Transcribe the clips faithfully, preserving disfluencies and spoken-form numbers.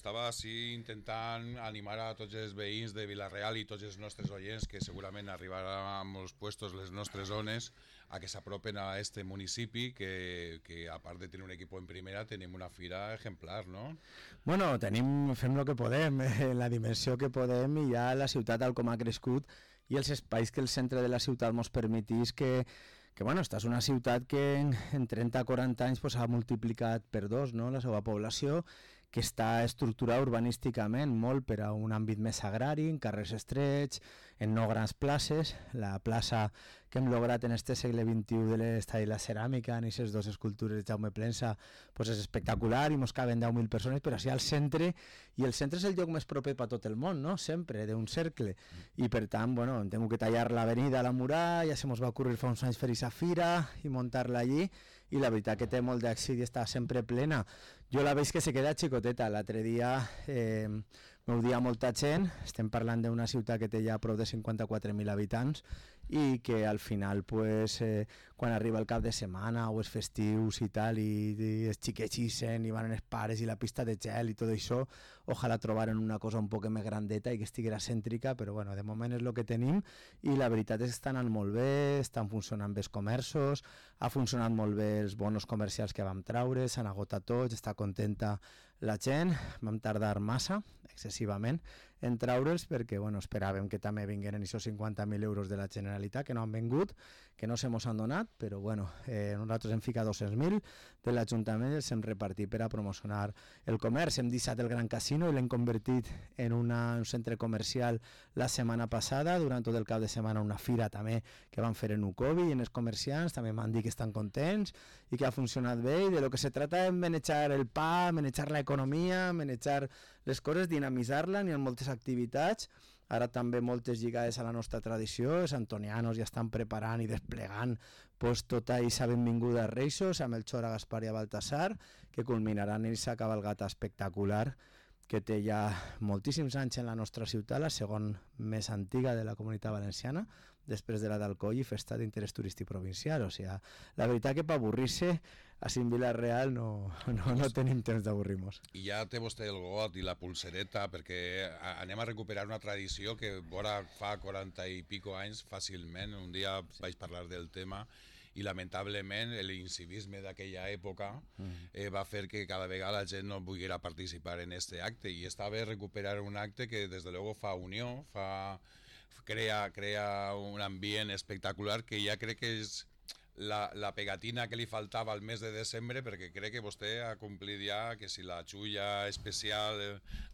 Estava així intentant animar a tots els veïns de Vila-real i tots els nostres oients que segurament arribaran a molts puestos les nostres zones a que s'apropen a este municipi que, que a part de tenir un equip en primera tenim una fira ejemplar, no? Bueno, tenim, fem el que podem, eh, la dimensió que podem i ja la ciutat tal com ha crescut i els espais que el centre de la ciutat ens permetís que que bueno, esta és una ciutat que en, en trenta a quaranta anys pues, ha multiplicat per dos, no?, la seva població, que està estructurada urbanísticament molt per a un àmbit més agrari, en carrers estrets, en no grans places. La plaça que hem lograt en este segle vint-i-u de l'Estadi de la Ceràmica, en aquestes dues escultures de Jaume Plensa, pues és espectacular i mos caben deu mil persones, però així al centre, i el centre és el lloc més proper per tot el món, no?, sempre, d'un cercle. I per tant, bueno, hem tingut que tallar l'avenida a la muralla, ja se mos va ocurrir fa uns anys fer aquesta fira i muntar-la allí, i la veritat que té molt d'èxit i està sempre plena. Jo la veig que se queda xicoteta. L'altre dia eh, m'audia molta gent, estem parlant d'una ciutat que té ja prop de cinquanta-quatre mil habitants i que al final pues, eh, quan arriba el cap de setmana o els festius i tal i, i els xiquets ixen i van els pares i la pista de gel i tot això, ojalà trobaren una cosa un poc més grandeta i que estiguera cèntrica, però bueno, de moment és el que tenim i la veritat és que estan anant molt bé, estan funcionant bé els comerços, ha funcionat molt bé els bonos comercials que vam traure, s'han agotat tots, està contenta la gent, vam tardar massa, excessivament, en traure'ls perquè bueno, esperàvem que també vingueren aquests cinquanta mil euros de la Generalitat, que no han vingut, que no se mos han donat, però bueno, eh, nosaltres hem ficat dos-cents mil de l'Ajuntament i els hem repartit per a promocionar el comerç. Hem deixat el Gran Casino i l'hem convertit en una, un centre comercial la setmana passada, durant tot el cap de setmana una fira també que van fer en Ucovi i en els comerciants també m'han dit que estan contents i que ha funcionat bé i de lo que se trata és manejar el pa, manejar l'economia, manejar les coses, dinamitzar-la, n'hi ha moltes activitats, ara també moltes lligades a la nostra tradició, els antonianos ja estan preparant i desplegant pues, tota aquesta benvinguda a Reixos, amb el Xora, Gaspar i a Baltasar, que culminaran en aquesta cabalgata espectacular que té ja moltíssims anys en la nostra ciutat, la segon més antiga de la Comunitat Valenciana, després de la d'Alcoi i festa d'interès turístic provincial. O sigui, la veritat que per avorrir-se, així en Vila-real no, no, no tenim temps d'avorrir-nos. I ja té vostè el got i la pulsereta, perquè anem a recuperar una tradició que vora fa quaranta i pico anys fàcilment, un dia sí. vaig parlar del tema, i lamentablement l'incivisme d'aquella època eh, va fer que cada vegada la gent no volguera participar en este acte i està bé recuperar un acte que des de luego fa unió, fa, crea, crea un ambient espectacular que ja crec que és la, la pegatina que li faltava al mes de desembre, perquè crec que vostè ha complit ja que si la xulla especial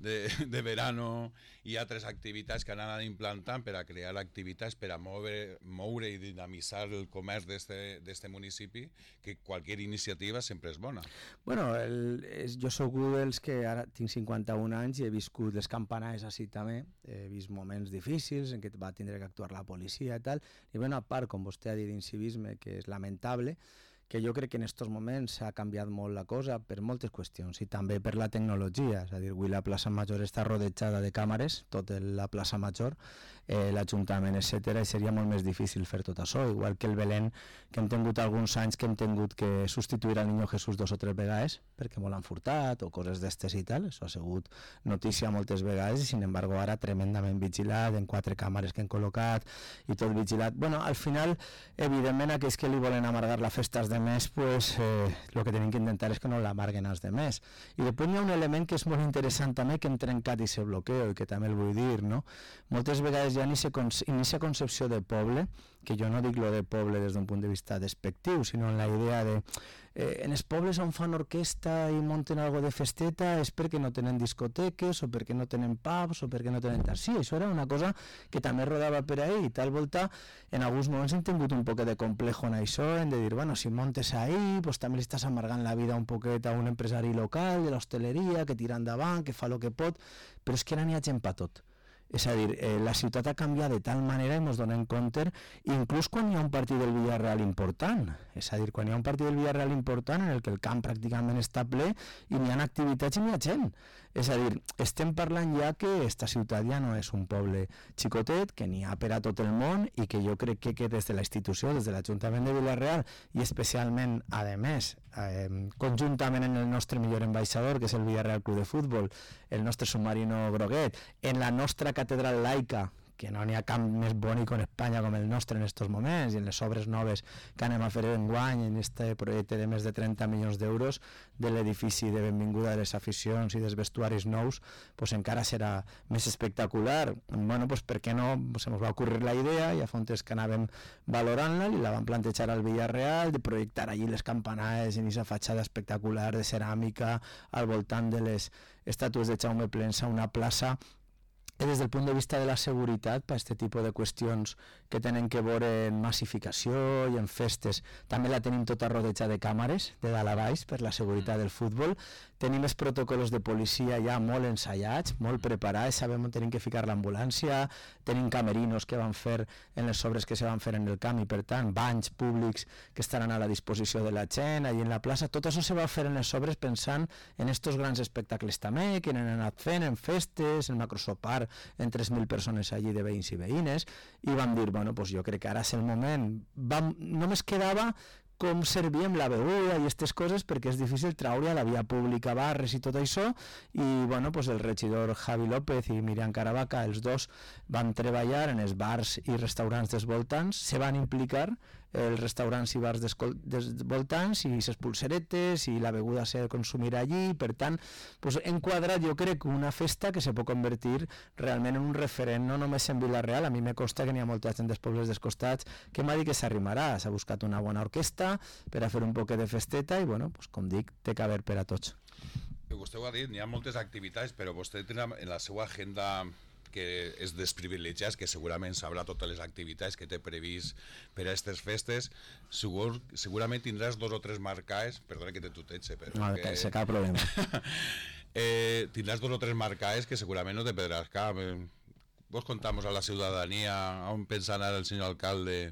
de, de verano i altres activitats que han anat implantant per a crear activitats per a moure, moure i dinamitzar el comerç d'este municipi, que qualsevol iniciativa sempre és bona. Bueno, el, és, jo soc un dels que ara tinc cinquanta-un anys i he viscut les campanades així també, he vist moments difícils en què va tindre que actuar la policia i tal, i bé, una part, com vostè ha dit, d'incivisme, que és lamentable, que jo crec que en aquests moments ha canviat molt la cosa per moltes qüestions i també per la tecnologia, és a dir, avui la plaça Major està rodejada de càmeres, tota la plaça Major, eh, l'Ajuntament, etcètera, i seria molt més difícil fer tot això, igual que el Belén, que hem tingut alguns anys que hem tingut que substituir al Niño Jesús dos o tres vegades, perquè molt han furtat o coses d'estes i tal, això ha sigut notícia moltes vegades i sin embargo ara tremendament vigilat, en quatre càmeres que han col·locat i tot vigilat. Bueno, al final, evidentment, aquells que li volen amargar la festa als demés, pues eh, el que tenim que intentar és que no l'amarguen als demés. I després hi ha un element que és molt interessant també, que hem trencat i se bloqueo, i que també el vull dir, no? Moltes vegades hi ha aquesta concepció de poble, que jo no dic lo de poble des d'un punt de vista despectiu, sinó en la idea de eh, en els pobles on fan orquestra i munten algo de festeta és perquè no tenen discoteques o perquè no tenen pubs o perquè no tenen tal. Sí, això era una cosa que també rodava per ahí i tal volta en alguns moments hem tingut un poc de complejo en això, en de dir, bueno, si montes ahí, pues també li estàs amargant la vida un poquet a un empresari local de l'hostaleria que tira endavant, que fa el que pot, però és que ara n'hi ha gent per tot. És a dir, eh, la ciutat ha canviat de tal manera i ens donem compte, inclús quan hi ha un partit del Villarreal important, és a dir, quan hi ha un partit del Villarreal important en el que el camp pràcticament està ple i n'hi ha activitats i n'hi ha gent. És a dir, estem parlant ja que esta ciutat ja no és un poble xicotet, que n'hi ha per a tot el món i que jo crec que, que des de la institució, des de l'Ajuntament de Vila-real i especialment, a més, eh, conjuntament amb el nostre millor ambaixador, que és el Villarreal Club de Futbol, el nostre submarino groguet, en la nostra catedral laica, que no n'hi ha cap més bonic en Espanya com el nostre en aquests moments, i en les obres noves que anem a fer enguany en este projecte de més de trenta milions d'euros de l'edifici de benvinguda de les aficions i dels vestuaris nous, pues encara serà més espectacular. Bueno, pues per què no? Pues se ens va ocurrir la idea, ja fa un temps que anàvem valorant-la i la vam plantejar al Villarreal, de projectar allí les campanades en aquesta fatxada espectacular de ceràmica al voltant de les estàtues de Jaume Plensa, una plaça que des del punt de vista de la seguretat per aquest tipus de qüestions que tenen que veure en massificació i en festes, també la tenim tota rodejada de càmeres de dalt a baix per la seguretat del futbol. Tenim els protocols de policia ja molt ensaiats, molt preparats, sabem on tenim que ficar l'ambulància, tenim camerinos que van fer en les obres que se van fer en el camp i per tant banys públics que estaran a la disposició de la gent allà en la plaça. Tot això se va fer en les obres pensant en estos grans espectacles també que han anat fent en festes, en macrosopar en tres mil persones allí de veïns i veïnes, i vam dir, bueno, pues jo crec que ara és el moment. Vam, només quedava com servíem la beguda i aquestes coses, perquè és difícil treure a la via pública barres i tot això, i bueno, pues el regidor Javi López i Miriam Caravaca, els dos van treballar en els bars i restaurants dels voltants, se van implicar els restaurants i bars dels voltants i les pulseretes i la beguda s'ha de consumir allí, per tant pues, enquadrat jo crec una festa que se pot convertir realment en un referent no només en Vila-real. A mi me consta que n'hi ha molta gent dels pobles dels costats que m'ha dit que s'arrimarà, s'ha buscat una bona orquestra per a fer un poquet de festeta i bueno, pues, com dic, té que haver per a tots. Vostè ho ha dit, n'hi ha moltes activitats, però vostè té en la seva agenda que és desprivilegiats, que segurament sabrà totes les activitats que té previst per a aquestes festes, segur, segurament tindràs dos o tres marcades, perdona que te tuteche, però... No, que se cap problema. eh, tindràs dos o tres marcades que segurament no te perdràs cap. Vos contamos a la ciutadania on pensa anar el senyor alcalde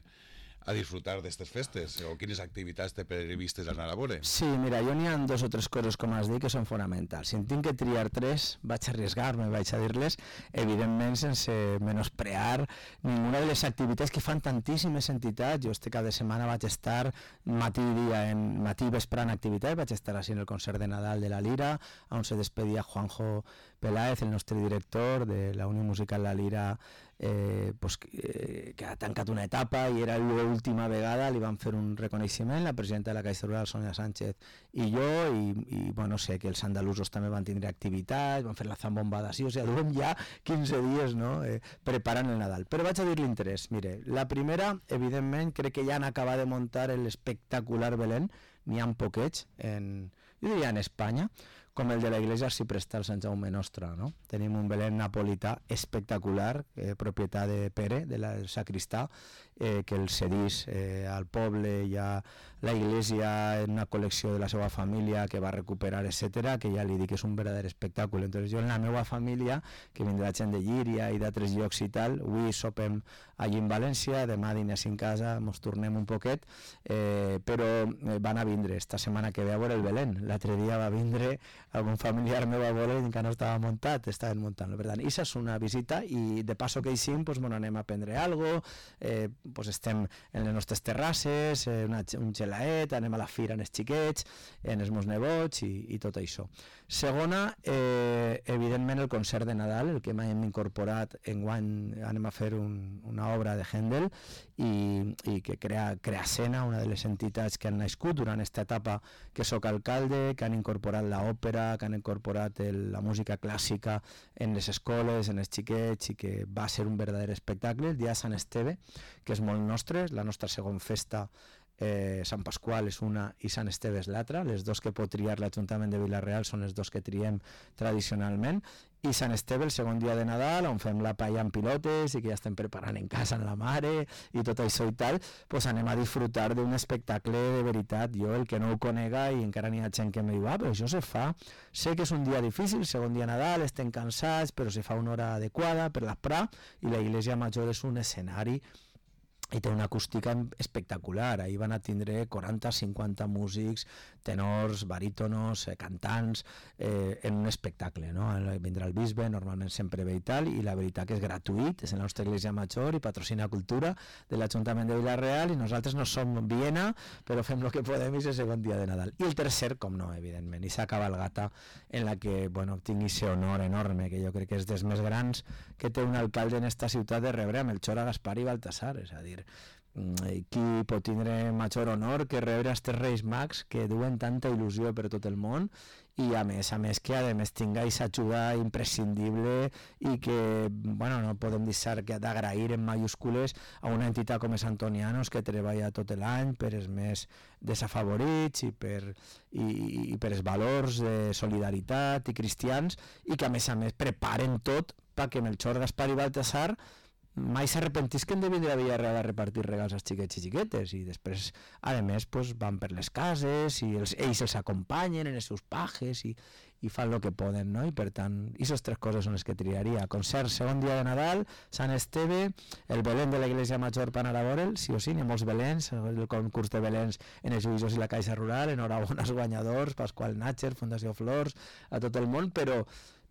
a disfrutar d'aquestes festes, o quines activitats té previstes anar a veure? Sí, mira, jo n'hi ha dos o tres coses, com has dit, que són fonamentals. Si en tinc que triar tres, vaig a arriesgar-me, vaig a dir-les, evidentment sense menosprear ninguna de les activitats que fan tantíssimes entitats. Jo este cap de setmana vaig estar matí i dia, en matí i vespre en activitat, vaig estar així en el concert de Nadal de la Lira, on se despedia Juanjo Peláez, el nostre director de la Unió Musical La Lira, eh, pues, eh, que ha tancat una etapa i era l'última vegada, li van fer un reconeixement la presidenta de la Caixa Rural, Sonia Sánchez, i jo, i, i bueno, sé que els andalusos també van tindre activitat, van fer la zambombada, sí, o sigui, duem ja quinze dies, no?, eh, preparant el Nadal. Però vaig a dir l'interès. Mire, la primera, evidentment, crec que ja han acabat de muntar l'espectacular Belén, n'hi ha poquets, en, jo diria en Espanya, com el de la Iglesia Arciprestal Sant Jaume Nostra, no? Tenim un Belén napolità espectacular, eh, propietat de Pere, de la sacristà, eh, que el cedís eh, al poble, hi ha la Iglesia en una col·lecció de la seva família que va recuperar, etcètera, que ja li dic que és un verdader espectacle. Entonces jo en la meva família, que vindrà gent de Llíria i d'altres llocs i tal, avui sopem allí en València, demà diners en casa, ens tornem un poquet, eh, però van a vindre esta setmana que ve a veure el Belén. L'altre dia va vindre algun familiar meu a veure i encara no estava muntat, estaven muntant-lo. Per tant, això és una visita i de passo que eixim, pues, bueno, anem a prendre alguna cosa, eh, pues, estem en les nostres terrasses, eh, una, un gelaet, anem a la fira en els xiquets, en els meus nebots i, i tot això. Segona, eh, evidentment el concert de Nadal, el que hem incorporat enguany, anem a fer un, una obra de Händel i, i que crea, crea escena, una de les entitats que han nascut durant aquesta etapa que soc alcalde, que han incorporat l'òpera, que han incorporat el, la música clàssica en les escoles, en els xiquets, i que va ser un verdader espectacle. El dia de Sant Esteve, que és molt nostre, la nostra segona festa, Eh, Sant Pasqual és una i Sant Esteve és l'altra. Les dos que pot triar l'Ajuntament de Vila-real són les dos que triem tradicionalment, i Sant Esteve el segon dia de Nadal, on fem la paella amb pilotes i que ja estem preparant en casa amb la mare i tot això i tal, pues anem a disfrutar d'un espectacle de veritat. Jo, el que no ho conega, i encara n'hi ha gent que em diu, ah, però això se fa, sé que és un dia difícil, segon dia de Nadal, estem cansats, però se fa una hora adequada per l'esprà, i la Iglesia Major és un escenari i té una acústica espectacular. Ahir van a tindre quaranta cinquanta músics, tenors, barítonos, eh, cantants, eh, en un espectacle, no? Vindrà el bisbe, normalment sempre ve i tal, i la veritat que és gratuït, és la nostra església major i patrocina cultura de l'Ajuntament de Vila-real, i nosaltres no som Viena, però fem el que podem i és el segon dia de Nadal. I el tercer, com no, evidentment, i s'ha cabalgata en la que, bueno, tingui ese honor enorme, que jo crec que és dels més grans que té un alcalde en esta ciutat de rebre a Melchor, a Gaspar i Baltasar, és a dir, qui pot tindre major honor que rebre aquests Reis Mags que duen tanta il·lusió per tot el món, i a més a més que a més tinga aquesta ajuda imprescindible i que, bueno, no podem deixar d'agrair en mayúscules a una entitat com és Antonianos, que treballa tot l'any per els més desafavorits i per, i, i per els valors de solidaritat i cristians, i que a més a més preparen tot perquè Melchor, Gaspar i Baltasar mai s'arrepentisquen de vindre a Villarreal a repartir regals als xiquets i xiquetes, i després a més pues, van per les cases i els, ells els acompanyen en els seus pajes i, i fan el que poden, no? I per tant, aquestes tres coses són les que triaria: concert segon dia de Nadal, Sant Esteve, el Belén de l'Església Major per anar a veure'l, sí o sí, n'hi ha molts Belens, el concurs de Belens en els Uïssos i la Caixa Rural, enhorabona als guanyadors, Pasqual Natcher, Fundació Flors, a tot el món, però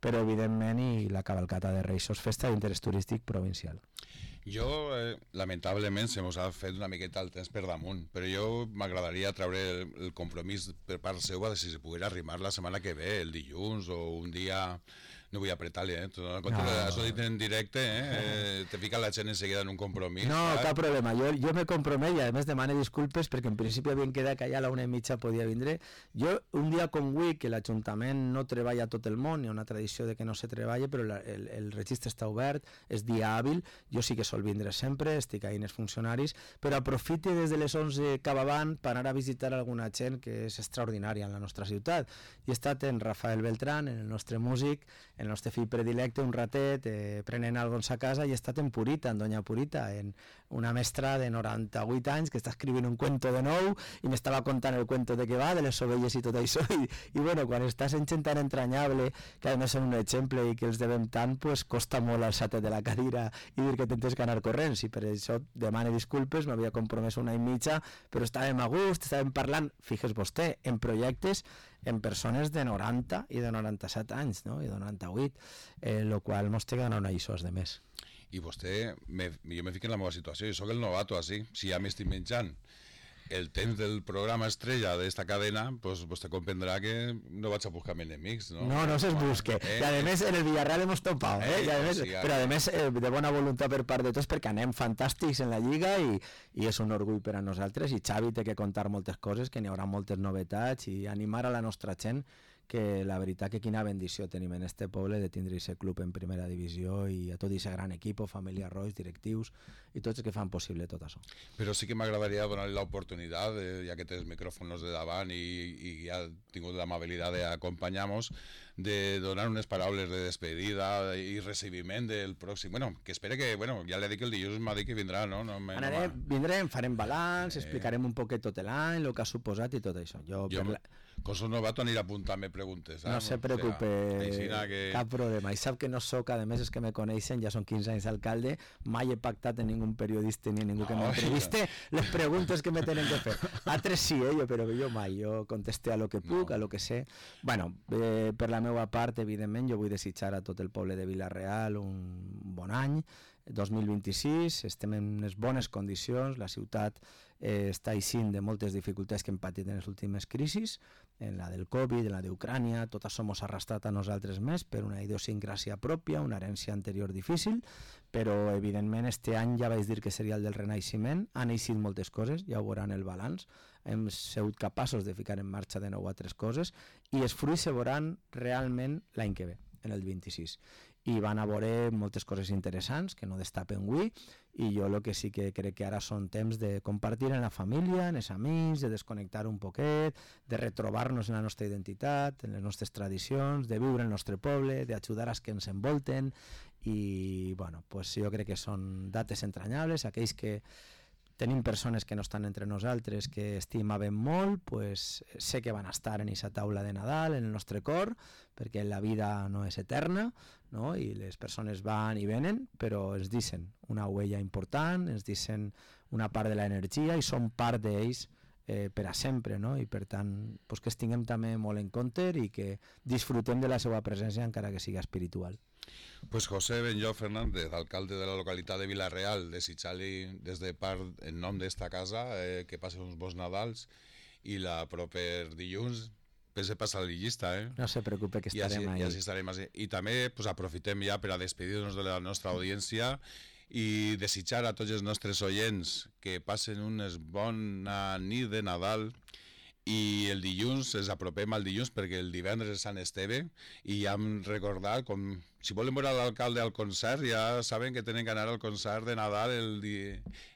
però evidentment i la cavalcata de Reis, sos festa d'interès turístic provincial. Jo, eh, lamentablement, se mos ha fet una miqueta el temps per damunt, però jo m'agradaria treure el, el compromís per part seva de si se poguera arrimar la setmana que ve, el dilluns o un dia. No vull apretar-li, eh? No, no. Això dit en directe, eh? eh? Te fica la gent enseguida en un compromís. No, saps? Cap problema. Jo, jo me compromet i a més demane disculpes perquè en principi havien quedat que allà a la una i mitja podia vindre. Jo, un dia com avui, que l'Ajuntament no treballa tot el món, hi ha una tradició de que no se treballa, però la, el, el registre està obert, és dia hàbil, jo sí que sol vindre sempre, estic ahí en els funcionaris, però aprofite des de les onze cap avant per anar a visitar alguna gent que és extraordinària en la nostra ciutat. I he estat en Rafael Beltrán, en el nostre músic, el nostre fill predilecte, un ratet, eh, prenent alguns a casa, i he estat en Purita, en Doña Purita, en una mestra de noranta-vuit anys que està escrivint un cuento de nou i m'estava contant el cuento de què va, de les ovelles i tot això, i, i bueno, quan estàs en gent tan entranyable, que a més són un exemple i que els devem tant, pues costa molt alçar-te de la cadira i dir que tentes que anar corrents, i per això demane disculpes, m'havia compromès una i mitja, però estàvem a gust, estàvem parlant, fixes vostè, en projectes en persones de noranta i de noranta-set anys, no? I de noranta-vuit, eh, lo qual mos té que donar una lliçó de més. I vostè, me, jo me fico en la meva situació, jo soc el novato, així, si ja m'estic menjant el temps del programa estrella d'esta cadena, pues vostè comprendrà que no vaig a buscar enemics, no? No, no se'ls busque. Eh? I a més en el Villarreal hemos topado, eh? eh? I a més, sí, però a més eh, de bona voluntat per part de tots, perquè anem fantàstics en la Lliga i, i és un orgull per a nosaltres, i Xavi té que contar moltes coses, que n'hi haurà moltes novetats, i animar a la nostra gent, que la veritat que quina bendició tenim en este poble de tindre aquest club en primera divisió i a tot aquest gran equip, família Roig, directius i tots els que fan possible tot això. Però sí que m'agradaria donar-li l'oportunitat, eh, ja que té els micròfons de davant i, i ha tingut l'amabilitat d'acompanyar-nos, de donar unes paraules de despedida i recibiment del pròxim. Bueno, que espere que, bueno, ja li dic que el dilluns m'ha dit que vindrà, no? no me, Anarem, no vindrem, farem balanç, eh... explicarem un poquet tot l'any, el que ha suposat i tot això. Jo, jo per la... com soc novato aniré apuntant-me preguntes. Eh? No se preocupe, o sea, que... cap problema. I sap que no soc, a més els que me coneixen, ja són quinze anys d'alcalde, mai he pactat en ningú periodista ni ningú que no, m'entreviste les preguntes que me tenen que fer. Altres sí, eh, jo, però jo mai, jo contesté a lo que puc, no. a lo que sé. Bueno, eh, per la meva part, evidentment, jo vull desitjar a tot el poble de Vila-real un bon any, dos mil vint-i-sis, estem en unes bones condicions, la ciutat eh, està eixint de moltes dificultats que hem patit en les últimes crisis, en la del Covid, en la d'Ucrània, tot això mos ha arrastrat a nosaltres més per una idiosincràsia pròpia, una herència anterior difícil, però evidentment este any ja vaig dir que seria el del renaixement, han eixit moltes coses, ja ho veuran el balanç, hem sigut capaços de ficar en marxa de nou altres coses i els fruits se veuran realment l'any que ve, en el vint-i-sis. I van a veure moltes coses interessants que no destapen avui, i jo el que sí que crec que ara són temps de compartir en la família, en els amics, de desconnectar un poquet, de retrobar-nos en la nostra identitat, en les nostres tradicions, de viure el nostre poble, d'ajudar als que ens envolten, i bueno, pues jo crec que són dates entranyables, aquells que tenim persones que no estan entre nosaltres, que estimaven molt, pues, sé que van estar en aquesta taula de Nadal, en el nostre cor, perquè la vida no és eterna, no? I les persones van i venen, però ens deixen una huella important, ens deixen una part de l'energia i són part d'ells eh, per a sempre, no? I per tant, pues, que els tinguem també molt en compte i que disfrutem de la seva presència encara que sigui espiritual. Pues José Benllo Fernández, alcalde de la localitat de Vila-real, desitjar-li des de part, en nom d'esta casa, eh, que passi uns bons Nadals i la proper dilluns pense passar la llista, eh? No se preocupe que estarem ahí. ahí. I així estarem així. I també pues, aprofitem ja per a despedir-nos de la nostra audiència i desitjar a tots els nostres oients que passen una bona nit de Nadal i el dilluns, ens apropem al dilluns perquè el divendres és Sant Esteve i ja hem recordat, com si volen veure l'alcalde al concert, ja saben que tenen que anar al concert de Nadal el, di,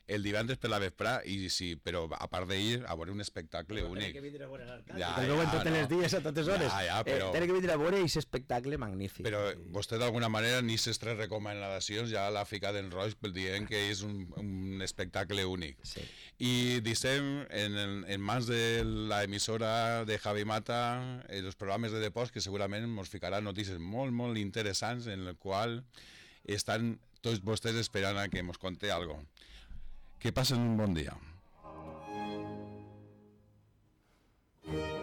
el divendres per la vesprà, i sí, però a part d'ell, a veure un espectacle però únic. Tenen que vindre a veure l'alcalde, ja, que el veuen ja, tots no. els dies a totes hores. Ja, ja, però... eh, tenen que vindre a veure aquest espectacle magnífic. Però vostè d'alguna manera ni ses tres recomanacions ja l'ha ficat en roig dient que és un, un espectacle únic. Sí. I deixem en, en mans de l'emissora de Javi Mata els programes de Deports que segurament ens ficaran notícies molt, molt interessants en el qual estan tots vostès esperant a que ens conte alguna cosa. Que passen un bon dia.